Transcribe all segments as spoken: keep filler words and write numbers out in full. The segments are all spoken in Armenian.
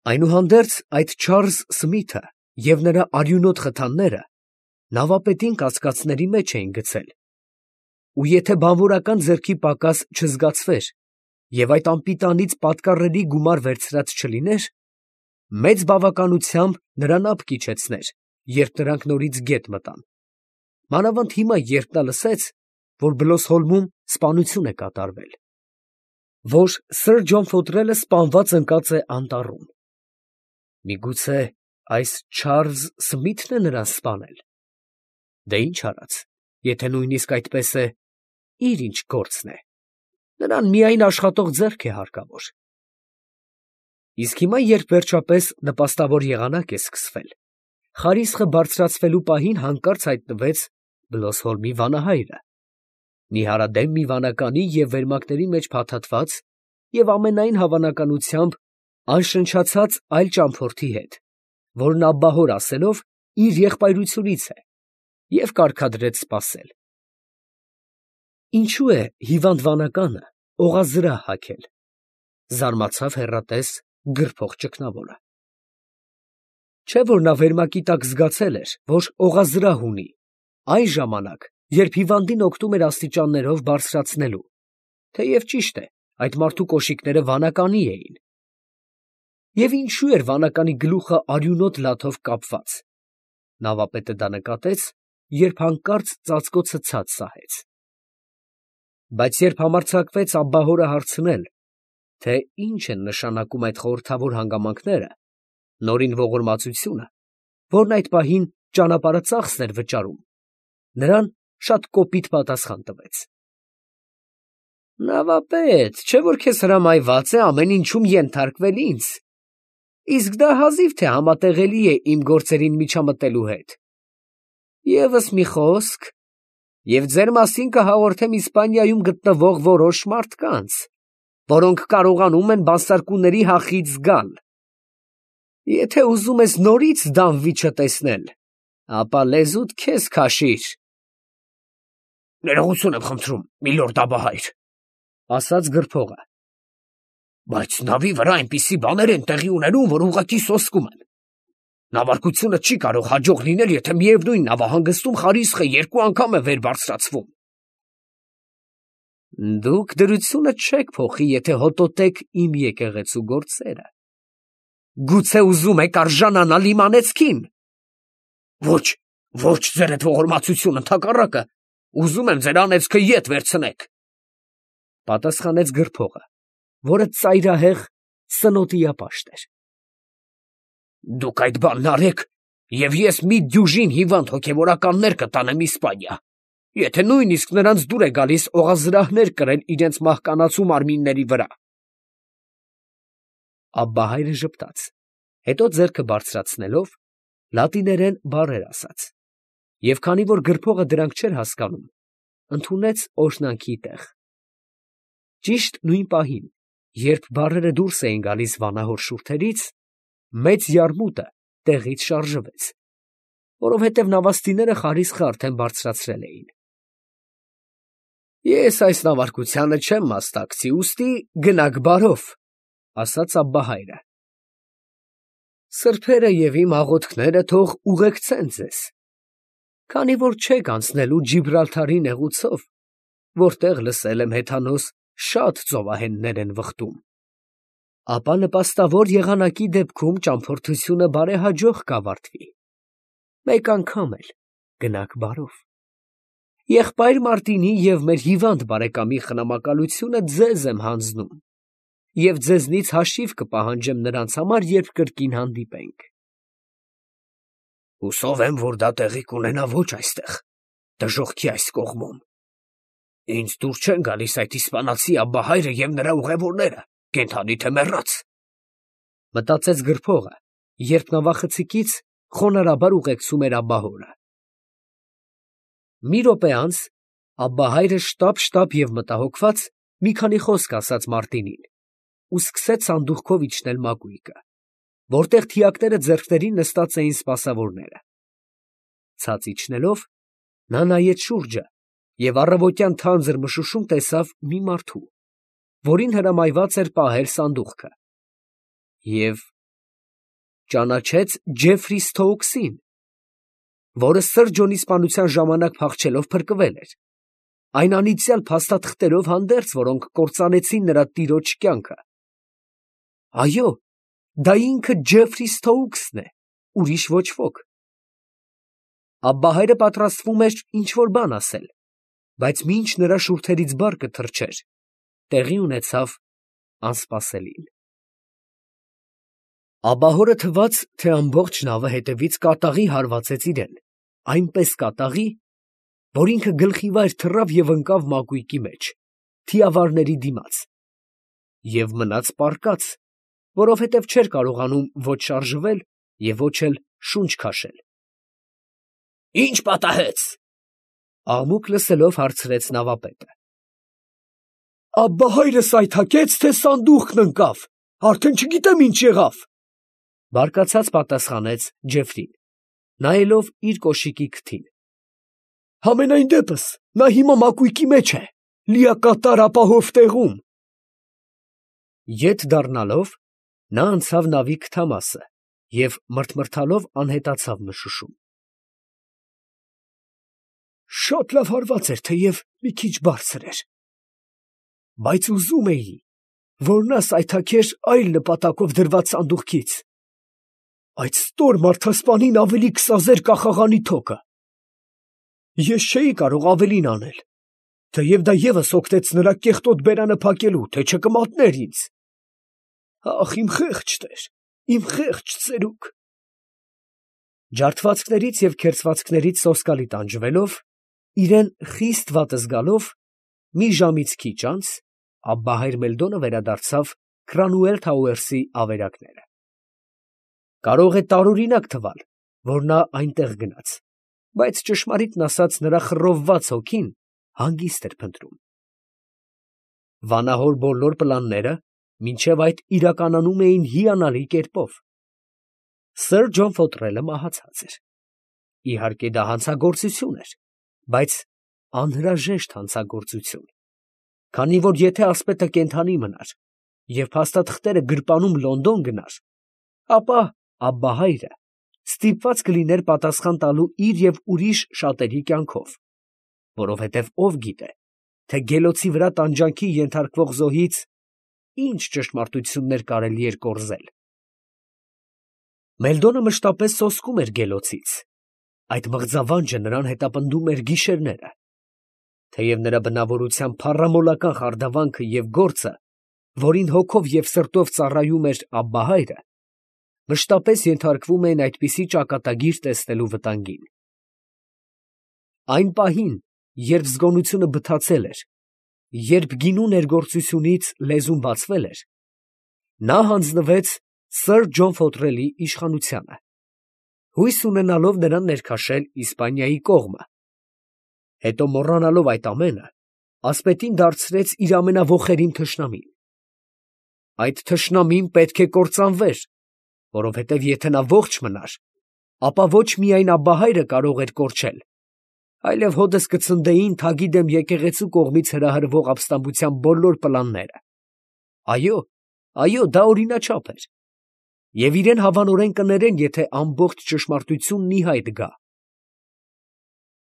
Այնուհանդերձ այդ Չարլզ Սմիթը և նրա արյունոտ խթանները նավապետին կասկածների մեջ էին գցել, ու եթե բանվորական ձեռքի պակաս չզգացվեր և այդ անպիտանից պատկառելի գումար վերցրած չլիներ, մեծ բավականությամբ նրան ափ կիջեցներ, երբ նրանք նորից գետ մտան, մանավանդ հիմա, երբ նա լսեց, որ Բլոսհոլմում սպանություն է կատարվել, որ սըր Ջոն Ֆոթրելը սպանված ընկած է անտառում։ Միգուցե այս Չարլզ Սմիթն է նրան սպանել. դե ինչ արած, եթե նույնիսկ այդպես է, իր ինչ գործն է, նրան միայն աշխատող ձեռք է հարկավոր։ Իսկ հիմա, երբ վերջապես նպաստավոր եղանակ է սկսվել, խարիսխը բարձրացվելու պահին հանկարծ հայտնվեց Բլոսհոլմի վանահայրը, նիհարադեմ մի վանականի և վերմակների մեջ փաթաթված և ամենայն հավանականությամբ անշնչացած այլ ճամփորդի հետ, որն աբահոր ասելով իր եղբայրությունից է, և կարգադրեց սպասել։ Ինչո՞ւ է հիվանդ վանականը օղազրահ հագել, ֊ զարմացավ հեռատես գրփող ճգնավորը։ Չէ՞ որ նա վերմակի տակ զգացել էր, որ օղազրահ ունի, այն ժամանակ, երբ հիվանդին օգնում էր աստիճաններով բարձրացնելու, թեև ճիշտ է, այդ մարդու կոշիկները վանականի էին։ Եվ ինչո՞ւ էր վանականի գլուխը արյունոտ լաթով կապված։ Նավապետը դա նկատեց, երբ հանկարծ ծածկոցը ցած սահեց։ Բայց երբ համարձակվեց աբահորը հարցնել, թե ինչ են նշանակում այդ խորհրդավոր հանգամանքները, նորին ողորմածությունը, որն այդ պահին ճանապարհածախսն էր վճարում, նրան շատ կոպիտ պատասխան տվեց. Նավապետ, չէ՞ որ քեզ հրամայված է ամեն ինչում ենթարկվել ինձ, իսկ դա հազիվ թե համատեղելի է իմ գործերին միջամտելու հետ։ Եվս մի խոսք, և ձեր մասին կհաղորդեմ Իսպանիայում գտնվող որոշ մարդկանց, որոնք կարողանում են բանսարկուների հախից զգալ։ Եթե ուզում ես նորից Դանվիչը տեսնել, ապա լեզուդ քեզ քաշիր։ Ներողություն եմ խնդրում, միլորդ աբահայր, ֊ ասաց գրփողը, բայց նավի վրա այնպիսի բաներ են տեղի ունենում, որ ուղղակի սոսկում են։ Նավարկությունը չի կարող հաջող լինել, եթե միևնույն նավահանգստում խարիսխը երկու անգամ է վեր բարձրացվում։ Դուք դրությունը չեք փոխի, եթե հոտոտեք իմ եկեղեցու գործերը։ Գուցե ուզում եք արժանանալ իմ անեծքին։ Ոչ, ոչ, ձերդ ողորմածություն, ընդհակառակը, ուզում եմ ձեր անեծքը ետ վերցնեք, ֊ պատասխանեց գրփողը, որը ծայրահեղ սնոտիապաշտ էր։ Դուք այդ բանն արեք, և ես մի դյուժին հիվանդ հոգևորականներ կտանեմ Իսպանիա, եթե նույնիսկ նրանց դուր է գալիս օղազրահներ կրել իրենց մահկանացու մարմինների վրա։ Աբբահայրը ժպտաց, հետո ձեռքը բարձրացնելով, լատիներեն բառեր ասաց, և քանի որ գրփողը դրանք չէր հասկանում, ընդունեց օրհնանքի տեղ։ Ճիշտ նույն պահին, երբ բառերը դուրս էին գալիս վանահոր շուրթերից, մեծ յարմուտը տեղից շարժվեց, որովհետև նավաստիները խարիսխը արդեն բարձրացրել էին։ Ես այս նավարկությանը չեմ մասնակցի, ուստի գնաք բարով, ֊ ասաց աբբահայրը։ Սրբերը և իմ աղոթքները թող ուղեկցեն ձեզ, քանի որ չեք անցնելու Ջիբրալթարի նեղուցով, որտեղ լսել եմ հեթանոս շատ ծովահեններ են վխտում։ Ապա նպաստավոր եղանակի դեպքում ճամփորդությունը բարեհաջող կավարտվի։ Մեկ անգամ էլ գնաք բարով։ Եղբայր Մարտինի և մեր հիվանդ բարեկամի խնամակալությունը ձեզ եմ հանձնում, և ձեզնից հաշիվ կպահանջեմ նրանց համար, երբ կրկին հանդիպենք։ Հուսով եմ, որ դա տեղի կունենա ոչ այստեղ, դժոխքի այս կողմում։ Ինձ դուր չեն գալիս այդ իսպանացի աբբահայրը և նրա ուղևորները, կենդանի թե մեռած, ֊ մտածեց գրփողը, երբ նավախցիկից խոնարհաբար ուղեկցում էր աբբահորը։ Մի րոպե անց աբբահայրը շտապ֊շտապ և մտահոգված մի քանի խոսք ասաց Մարտինին ու սկսեց սանդուղքով իջնել մակույկը, որտեղ թիակները ձեռքներին նստած էին սպասավորները։ Ցած իջնելով, նա նայեց շուրջը և առավոտյան թանձր մշուշում տեսավ մի մարդու, որին հրամայված էր պահել սանդուղքը, և ճանաչեց Ջեֆրի Սթոուքսին, որը Սըր Ջոնի սպանության ժամանակ փախչելով փրկվել էր, այն անիծյալ փաստաթղթերով հանդերձ, որոնք կործանեցին նրա տիրոջ կյանքը։ Այո, դա ինքը Ջեֆրի Սթոուքսն է, ուրիշ ոչ ոք։ Աբբահայրը պատրաստվում էր ինչ-որ բան ասել, բայց մինչ նրա շուրթերից բառը թռչեր, տեղի ունեցավ անսպասելին։ Աբահորը թվաց, թե ամբողջ նավը հետևից կատաղի հարվածեց իրեն, այնպես կատաղի, որ ինքը գլխիվայր թռավ և ընկավ մակույկի մեջ, թիավարների դիմաց, և մնաց պառկած, որովհետև չէր կարողանում ոչ շարժվել և ոչ էլ շունչ քաշել։ «Ի՞նչ պատահեց» ֊ աղմուկ լսելով հարցրեց նավապետը։ «Աբբահայրս այթակեց, թե սանդուղքն ընկավ, արդեն չգիտեմ ինչ եղավ, ֊ բարկացած պատասխանեց Ջեֆրին, նայելով իր կոշիկի քթին։ ֊ Համենայն դեպս նա հիմա մակույկի մեջ է, լիակատար ապահով տեղում։ Ետ դառնալով, նա անցավ նավի քթամասը և մռթմռթալով անհետացավ մշուշում։ Շատ լավ հարված էր, թեև մի քիչ բարձր էր, բայց ուզում էի, որ նա սայթաքեր այլ նպատակով դրված սանդուղքից, այդ ստոր մարդասպանին ավելի կսազեր կախաղանի թոկը։ Ես չէի կարող ավելին անել, թեև դա ևս օգնեց նրա կեղտոտ բերանը փակելու, թե չկմատներ ինձ։ Ախ, իմ խեղճ տեր, իմ խեղճ ծերուկ։ Ջարդվածքներից և քերծվածքներից սոսկալի տանջվելով, իրեն խիստ վատ զգալով, մի ժամից քիչ անց Աբբահայր Մելդոնը վերադարձավ Քրանուել Թաուերսի ավերակները։ Կարող է տարօրինակ թվալ, որ նա այնտեղ գնաց, բայց ճշմարիտն ասած նրա խռովված հոգին հանգիստ էր փնտրում։ Վանահոր բոլոր պլանները մինչև այդ իրականանում էին հիանալի կերպով։ Սըր Ջոն Ֆոթրելը մահացած էր։ Իհարկե դա հանցագործություն էր, բայց անհրաժեշտ հանցագործություն, քանի որ եթե ասպետը կենդանի մնար և փաստաթղթերը գրպանում Լոնդոն գնար, ապա Աբբահայրը ստիպված կլիներ պատասխան տալու իր և ուրիշ շատերի կյանքով, որովհետև ով գիտե, թե գելոցի վրա տանջանքի ենթարկվող զոհից ինչ ճշմարտություններ կարելի էր կորզել։ Մելդոնը մշտապես սոսկում էր գելոցից, այդ մղձավանջը նրան հետապնդում էր գիշերները, թեև նրա բնավորության փառամոլական խարդավանքը և գործը, որին հոգով և սրտով ծառայում էր Աբբահայրը, մշտապես ենթարկվում էին այդպիսի ճակատագիր տեսնելու վտանգին։ Այն պահին, երբ զգոնությունը բթացել էր, երբ գինու ներգործությունից լեզուն բացվել էր, նա հանձնվեց Սըր Ջոն Ֆոթրելի իշխանությանը, հույս ունենալով նրան ներքաշել Իսպանիայի կողմը, հետո մոռանալով այդ ամենը, ասպետին դարձրեց իր ամենաոխերիմ թշնամին։ Այդ թշնամին պետք է կործանվեր, որովհետև եթե նա ողջ մնար, ապա ոչ միայն Աբբահայրը կարող էր կորչել, այլև հօդս կցնդեին թագի դեմ եկեղեցու կողմից հրահրվող ապստամբության բոլոր պլանները։ Այո, այո, դա օրինաչափ էր, և իրեն հավանորեն կներեն, եթե ամբողջ ճշմարտությունն ի հայտ գա։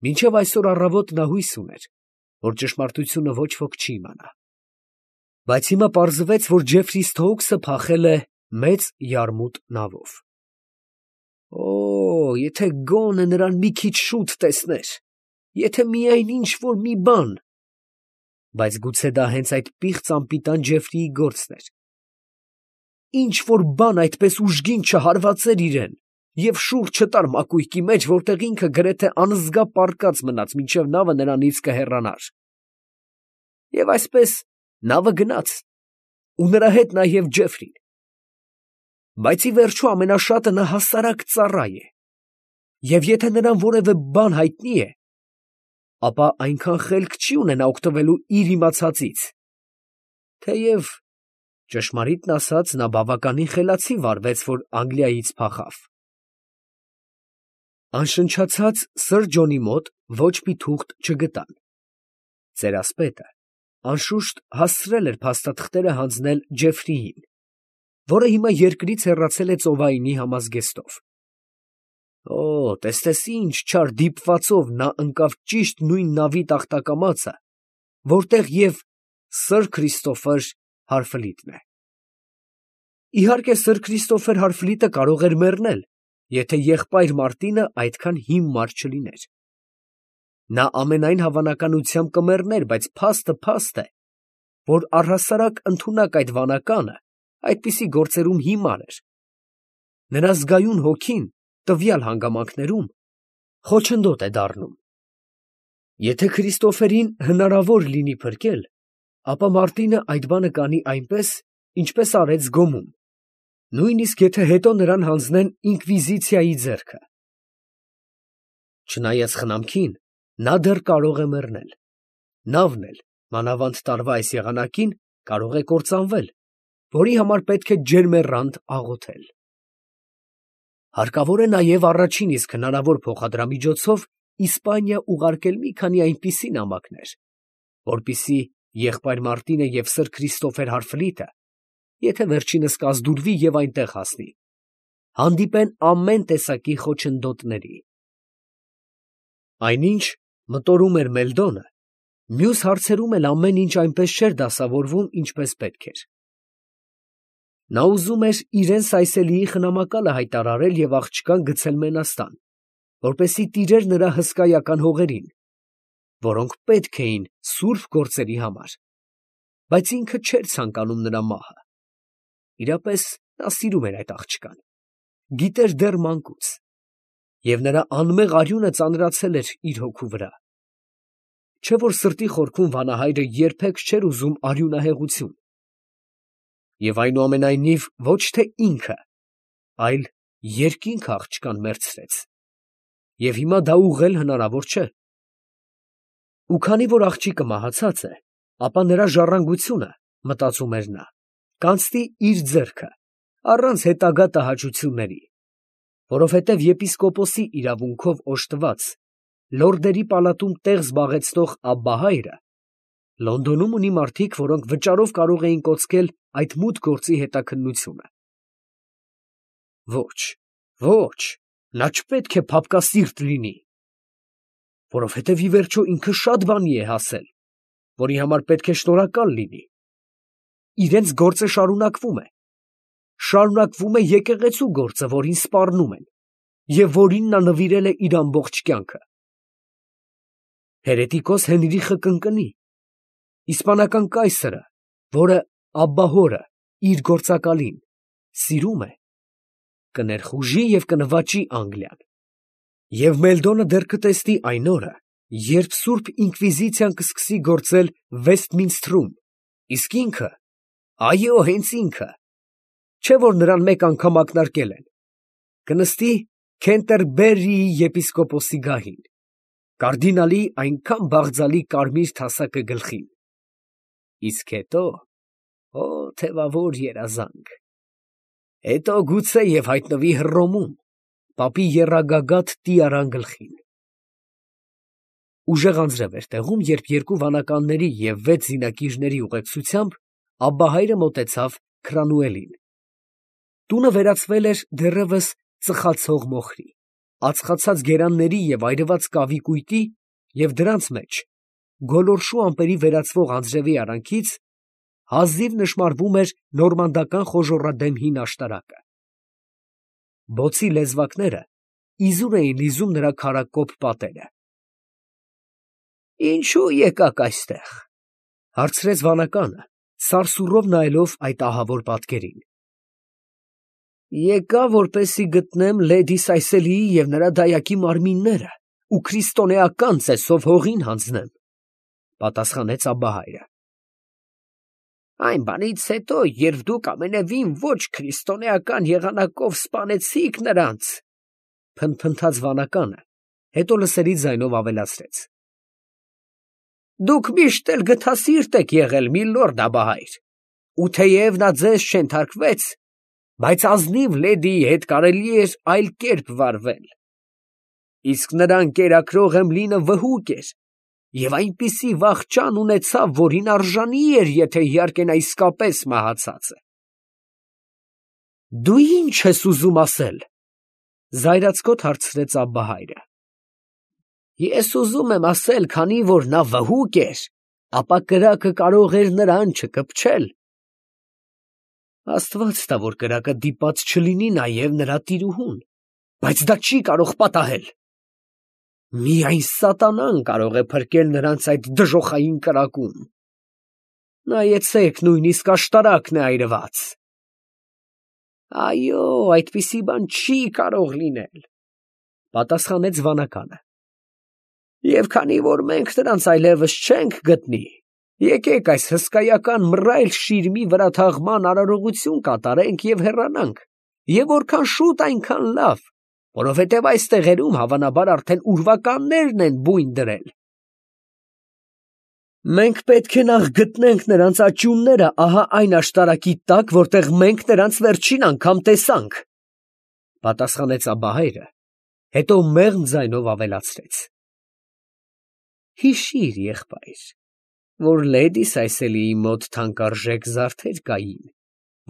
Մինչև այսօր առավոտ նա հույս ուներ, որ ճշմարտությունը ոչ ոք չի իմանա։ Բայց հիմա պարզվեց, որ Ջեֆրի Սթոուքսը փախել է մեծ յարմուտ նավով։ Օ՜, եթե գոնե նրան մի քիչ շուտ տեսներ, եթե միայն ինչ֊որ մի բան… Բայց գուցե դա հենց այդ պիղծ անպիտան Ջեֆրիի գործն էր… Ինչ֊որ բան այդպես ուժգին չհարվածեր իրան և շուռ չտար մակույկի մեջ, որտեղ ինքը գրեթե անզգա պառկած մնաց, մինչև նավը նրանից կհեռանար… Եվ այսպես նավը գնաց, ու նրա հետ նաև Ջեֆրին… Բայց ի վերջո ամենաշատը նա հասարակ ծառա է, և եթե նրան որևէ բան հայտնի է, ապա այնքան խելք չի ունենա օգտվելու իր իմացածից, թեև, ճշմարիտն ասած, նա բավականին խելացի վարվեց, որ Անգլիայից փախավ։ Անշնչացած Սըր Ջոնի մոտ ոչ մի թուղթ չգտան։ Ծերասպետը, անշուշտ, հասցրել էր փաստաթղթերը հանձնել Ջեֆրիին, որը հիմա երկրից հեռացել է ծովայինի համազգեստով։ Օ, տես ինչ չար դիպվածով նա ընկավ ճիշտ նույն նավի տախտակամածը, որտեղ և սըր Քրիստոֆեր Հարֆլիտն է։ Իհարկե, սըր Քրիստոֆեր Հարֆլիտը կարող էր մեռնել, եթե եղբայր Մարտինը այդքան հիմար չլիներ։ Նա ամենայն հավանականությամբ կմեռներ, բայց փաստը փաստ է, որ առհասարակ ընդունակ այդ վանականը այդպիսի գործերում հիմար էր։ Նրա զգայուն հոգին տվյալ հանգամանքներում խոչընդոտ է դառնում։ Եթե Քրիստոֆերին հնարավոր լինի փրկել, ապա Մարտինը այդ բանը կանի այնպես, ինչպես արեց Գոմում, նույնիսկ եթե հետո նրան հանձնեն ինկվիզիցիայի ձեռքը։ Չնայած խնամքին, նա դեռ կարող է մեռնել։ Նավն էլ, մանավանդ տարվա այս եղանակին, կարող է կործանվել, որի համար պետք է ջերմեռանդ աղոթել։ Հարկավոր է նաև առաջին իսկ հնարավոր փոխադրամիջոցով Իսպանիա ուղարկել մի քանի այնպիսի նամակներ, որպեսզի եղբայր Մարտինը և սըր Քրիստոֆեր Հարֆլիտը, եթե վերջինս կազդուրվի և այնտեղ հասնի, հանդիպեն ամեն տեսակի խոչընդոտների։ Այնինչ մտորում էր Մելդոնը, մյուս հարցերում էլ ամեն ինչ այնպես չէր դասավորվում, ինչպես պետք էր։ Նա ուզում էր իրան Սայսելիի խնամակալը հայտարարել և աղջկան գցել մենաստան, որպեսզի տիրեր նրա հսկայական հողերին, որոնք պետք էին սուրբ գործերի համար, բայց ինքը չէր ցանկանում նրա մահը։ Իրապես նա սիրում էր այդ աղջկան, գիտեր դեռ մանկուց, և նրա անմեղ արյունը ծանրացել էր իր հոգու վրա։ Չէ՞ որ սրտի խորքում վանահայրը երբեք չէր ուզում արյունահեղություն։ Եվ այնուամենայնիվ ոչ թե ինքը, այլ երկինքը աղջկան մեռցրեց, և հիմա դա ուղղել հնարավոր չէ։ Ու քանի որ աղջիկը մահացած է, ապա նրա ժառանգությունը, մտածում էր նա, կանցնի իր ձեռքը, առանց հետագա տհաճությունների, որովհետև եպիսկոպոսի իրավունքով օժտված, լորդերի պալատում տեղ զբաղեցնող Աբբահայրը Լոնդոնում ունի մարդիկ, որոնք վճարով կարող էին կոծկել այդ մութ գործի հետաքննությունը։ Ոչ, ոչ, նա չպետք է փափկասիրտ լինի, որովհետև ի վերջո ինքը շատ բանի է հասել, որի համար պետք է շնորհակալ լինի։ Իրենց գործը շարունակվում է, շարունակվում է եկեղեցու գործը, որին սպառնում են, և որին նա նվիրել է իր ամբողջ կյանքը։ Հերետիկոս Հենրիխը կընկնի, իսպանական կայսրը, որը Աբբահորը, իր գործակալին, սիրում է, կներխուժի և կնվաճի Անգլիան, և Մելդոնը դեռ կտեսնի այն օրը, երբ սուրբ ինկվիզիցիան կսկսի գործել Վեսթմինսթրում, իսկ ինքը, այո, հենց ինքը, չէ՞ որ նրան մեկ անգամ ակնարկել են, կնստի Քենտերբերիի եպիսկոպոսի գահին, կարդինալի այնքան բաղձալի կարմիր թասակը գլխին, իսկ հետո, օ, թևավոր երազանք, հետո գուցե և հայտնվի Հռոմում, պապի եռագագաթ տիարան գլխին։ Ուժեղ անձրև էր տեղում, երբ երկու վանականների և վեց զինակիրների ուղեկցությամբ Աբբահայրը մոտեցավ Քրանուելին։ Տունը վերածվել էր դեռևս ծխացող մոխրի, ածխացած գերանների և այրված կավի կույտի և դրանց մեջ, գոլորշու ամպերի վերածվող անձրևի արանքից, հազիվ նշմարվում էր նորմանդական խոժոռադեմ հին աշտարակը։ Բոցի լեզվակները իզուր էին լիզում նրա քարակոպ պատերը։ ֊ Ինչո՞ւ եկաք այստեղ, ֊ հարցրեց վանականը, սարսուռով նայելով այդ ահավոր պատկերին։ ֊ Եկա, որպեսզի գտնեմ լեդի Սայսելիի և նրա դայակի մարմինները ու քրիստոնեական ծեսով հողին հանձնեմ, ֊ պատասխանեց Աբբահայրը։ ֊ Այն բանից հետո, երբ դուք ամենևին ոչ քրիստոնեական եղանակով սպանեցիք նրանց, ֊ փնթփնթաց վանականը, հետո լսելի ձայնով ավելացրեց. ֊ Դուք միշտ էլ գթասիրտ եք եղել, միլորդ Աբբահայր, ու թեև նա ձեզ չենթարկվեց, բայց ազնիվ լեդիի հետ կարելի էր այլ կերպ վարվել, իսկ նրա ընկերակրող Էմլինը վհուկ էր և այնպիսի վախճան ունեցավ, որին արժանի էր, եթե իհարկե նա իսկապես մահացած է։ Դու ի՞նչ ես ուզում ասել, զայրացկոտ հարցրեց Աբբահայրը։ Ես ուզում եմ ասել, քանի որ նա վհուկ էր, ապա կրակը կարող էր նրան չկպչել։ Աստված տա, որ կրակը դիպած չլինի նաև նրա տիրուհուն, բայց դա չի կարող պատահել։ Միայն սատանան կարող է փրկել նրանց այդ դժոխային կրակում։ Նայեցեք, նույնիսկ աշտարակն է այրված։ Այո, այդպիսի բան չի կարող լինել, պատասխանեց վանականը։ Եվ քանի որ մենք նրանց այլևս չենք գտնի, եկեք այս հսկայական մռայլ շիրմի վրա թաղման արարողություն կատարենք և հեռանանք, և որքան շուտ այնքան լավ, որովհետև այս տեղերում հավանաբար արդեն ուրվականներն են բույն դրել։ Մենք պետք է նախ գտնենք նրանց աճյունները ահա այն աշտարակի տակ, որտեղ մենք նրանց վերջին անգամ տեսանք, պատասխանեց Աբբահայրը, հետո մեղմ ձայնով ավելացրեց. Հիշիր, եղբայր, որ լեդի Սայսելիի մոտ թանկարժեք զարդեր կային,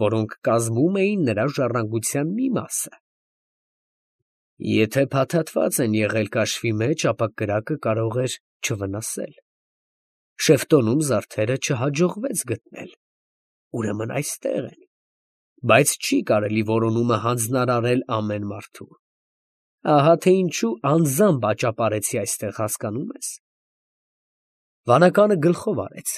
որոնք կազմում էին նրա ժառանգության մի մասը։ Եթե փաթաթված են եղել կաշվի մեջ, ապա կրակը կարող էր չվնասել։ Շեֆտոնում զարդերը չհաջողվեց գտնել, ուրեմն այստեղ են, բայց չի կարելի որոնումը հանձնարարել ամեն մարդու։ Ահա թե ինչու անձամբ աճապարեցի այստեղ, հասկանում ես։ Վանականը գլխով արեց,